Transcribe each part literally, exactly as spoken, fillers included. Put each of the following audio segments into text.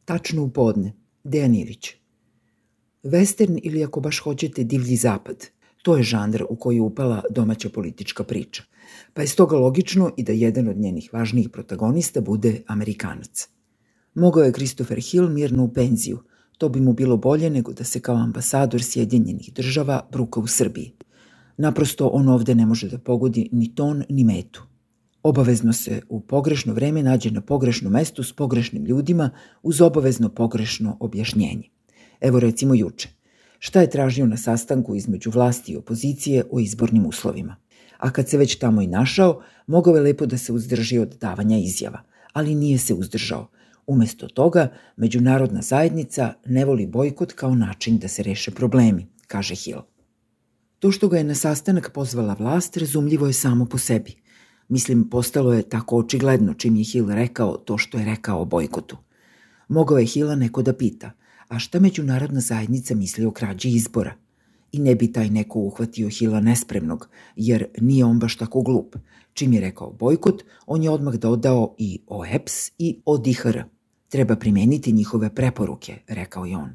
Tačno u podne. Dejan Ilić. Western ili ako baš hoćete divlji zapad. To je žanr u koji je upala domaća politička priča. Pa je stoga logično i da jedan od njenih važnijih protagonista bude Amerikanac. Mogao je Christopher Hill mirno u penziju. To bi mu bilo bolje nego da se kao ambasador Sjedinjenih država bruka u Srbiji. Naprosto on ovde ne može da pogodi ni ton ni metu. Obavezno se u pogrešno vreme nađe na pogrešnom mestu s pogrešnim ljudima uz obavezno pogrešno objašnjenje. Evo recimo juče. Šta je tražio na sastanku između vlasti i opozicije o izbornim uslovima? A kad se već tamo i našao, mogao je lepo da se uzdrži od davanja izjava, ali nije se uzdržao. Umesto toga, međunarodna zajednica ne voli bojkot kao način da se reše problemi, kaže Hill. To što ga je na sastanak pozvala vlast, razumljivo je samo po sebi. Mislim, postalo je tako očigledno čim je Hill rekao to što je rekao o bojkotu. Mogao je Hilla neko da pita, a šta međunarodna zajednica misli o krađi izbora? I ne bi taj neko uhvatio Hilla nespremnog, jer nije on baš tako glup. Čim je rekao bojkot, on je odmah dodao i O E P S i O D I H R. Treba primeniti njihove preporuke, rekao je on.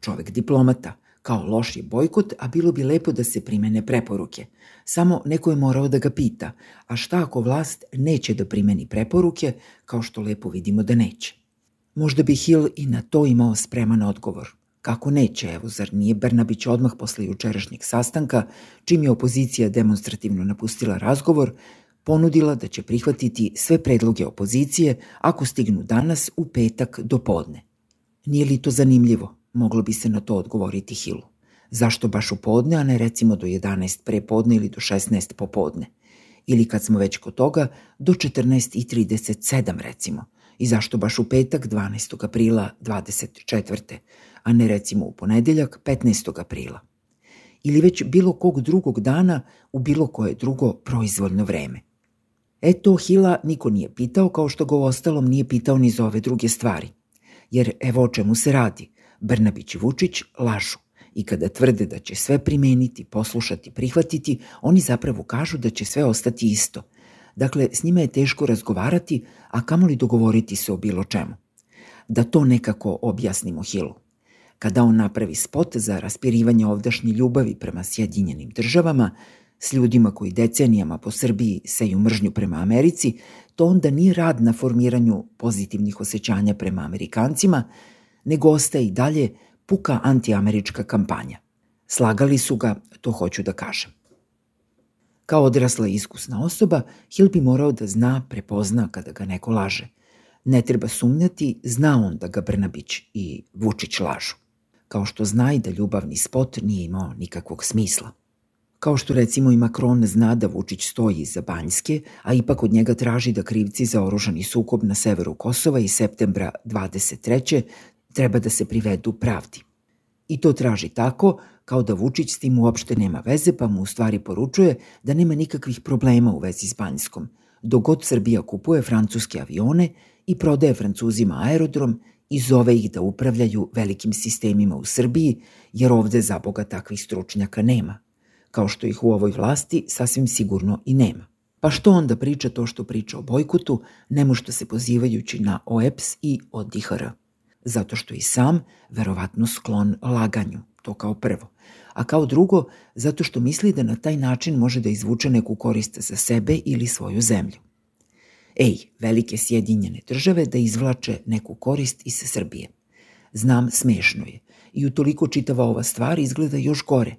Čovek diplomata, kao loš je bojkot, a bilo bi lepo da se primene preporuke. Samo neko je morao da ga pita, a šta ako vlast neće da primeni preporuke, kao što lepo vidimo da neće? Možda bi Hill i na to imao spreman odgovor. Kako neće, evo, zar nije Brnabić odmah posle jučerašnjeg sastanka, čim je opozicija demonstrativno napustila razgovor, ponudila da će prihvatiti sve predloge opozicije ako stignu danas u petak do podne. Nije li to zanimljivo? Moglo bi se na to odgovoriti Hillu. Zašto baš u podne, a ne recimo do jedanaest pre podne ili do šesnaest popodne? Ili kad smo već kod toga, do četrnaest i trideset sedam recimo. I zašto baš u petak dvanaestog aprila dvadeset četvrte, a ne recimo u ponedeljak petnaestog aprila? Ili već bilo kog drugog dana u bilo koje drugo proizvoljno vreme? E to Hilla niko nije pitao, kao što ga uostalom nije pitao ni za ove druge stvari. Jer evo o čemu se radi. Brnabić i Vučić lažu i kada tvrde da će sve primeniti, poslušati, prihvatiti, oni zapravo kažu da će sve ostati isto. Dakle, s njima je teško razgovarati, a kamoli dogovoriti se o bilo čemu. Da to nekako objasnimo Hillu. Kada on napravi spot za raspirivanje ovdašnje ljubavi prema Sjedinjenim državama, s ljudima koji decenijama po Srbiji seju mržnju prema Americi, to onda nije rad na formiranju pozitivnih osjećanja prema Amerikancima, nego ostaje i dalje puka antiamerička kampanja. Slagali su ga, to hoću da kažem. Kao odrasla i iskusna osoba, Hill bi morao da zna, prepozna kada ga neko laže. Ne treba sumnjati, zna on da ga Brnabić i Vučić lažu. Kao što zna i da ljubavni spot nije imao nikakvog smisla. Kao što recimo i Macron zna da Vučić stoji iza Banjske, a ipak od njega traži da krivci za oružani sukob na severu Kosova iz septembra dvadeset treće treba da se privedu pravdi. I to traži tako, kao da Vučić s tim uopšte nema veze, pa mu u stvari poručuje da nema nikakvih problema u vezi s Banjskom, dok god Srbija kupuje francuske avione i prodaje Francuzima aerodrom i zove ih da upravljaju velikim sistemima u Srbiji, jer ovde za Boga takvih stručnjaka nema, kao što ih u ovoj vlasti sasvim sigurno i nema. Pa što onda priča to što priča o bojkotu, nemošta se pozivajući na O E P S i O D I H R? Zato što i sam verovatno sklon laganju, to kao prvo. A kao drugo, zato što misli da na taj način može da izvuče neku korist za sebe ili svoju zemlju. Ej, velike Sjedinjene države da izvlače neku korist iz Srbije. Znam, smešno je. I utoliko čitava ova stvar izgleda još gore.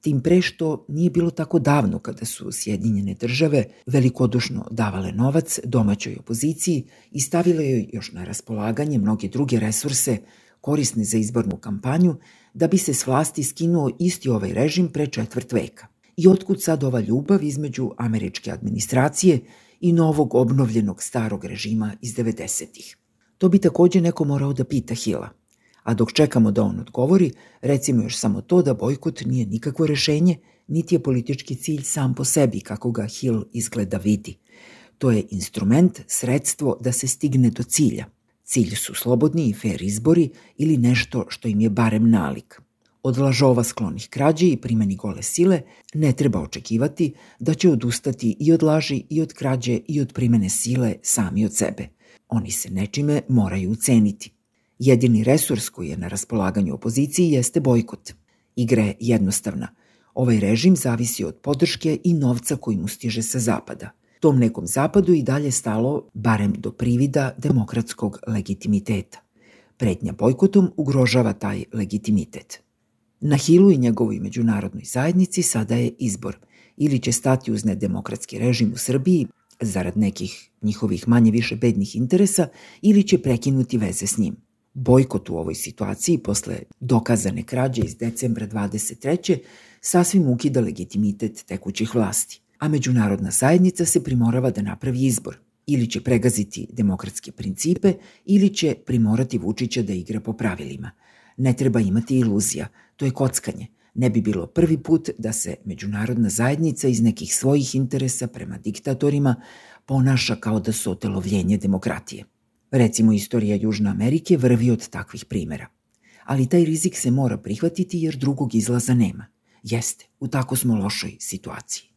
Tim pre što nije bilo tako davno kada su Sjedinjene države velikodušno davale novac domaćoj opoziciji i stavile joj još na raspolaganje mnoge druge resurse korisne za izbornu kampanju da bi se s vlasti skinuo isti ovaj režim pre četvrt veka. I otkud sad ova ljubav između američke administracije i novog obnovljenog starog režima iz devedesetih? To bi takođe neko morao da pita Hilla. A dok čekamo da on odgovori, recimo još samo to da bojkot nije nikakvo rešenje, niti je politički cilj sam po sebi, kako ga Hill izgleda vidi. To je instrument, sredstvo da se stigne do cilja. Cilj su slobodni i fair izbori ili nešto što im je barem nalik. Od lažova sklonih krađi i primeni gole sile ne treba očekivati da će odustati i od laži i od krađe i od primene sile sami od sebe. Oni se nečime moraju uceniti. Jedini resurs koji je na raspolaganju opoziciji jeste bojkot. Igra je jednostavna. Ovaj režim zavisi od podrške i novca koji mu stiže sa zapada. Tom nekom zapadu i dalje stalo barem do privida demokratskog legitimiteta. Pretnja bojkotom ugrožava taj legitimitet. Na Hillu i njegovoj međunarodnoj zajednici sada je izbor. Ili će stati uz nedemokratski režim u Srbiji, zarad nekih njihovih manje više bednih interesa, ili će prekinuti veze s njim. Bojkot u ovoj situaciji, posle dokazane krađe iz decembra dvadeset treće sasvim ukida legitimitet tekućih vlasti, a međunarodna zajednica se primorava da napravi izbor. Ili će pregaziti demokratske principe, ili će primorati Vučića da igra po pravilima. Ne treba imati iluzija, to je kockanje. Ne bi bilo prvi put da se međunarodna zajednica iz nekih svojih interesa prema diktatorima ponaša kao da su otelovljenje demokratije. Recimo, istorija Južne Amerike vrvi od takvih primera. Ali taj rizik se mora prihvatiti jer drugog izlaza nema. Jeste, u tako smo lošoj situaciji.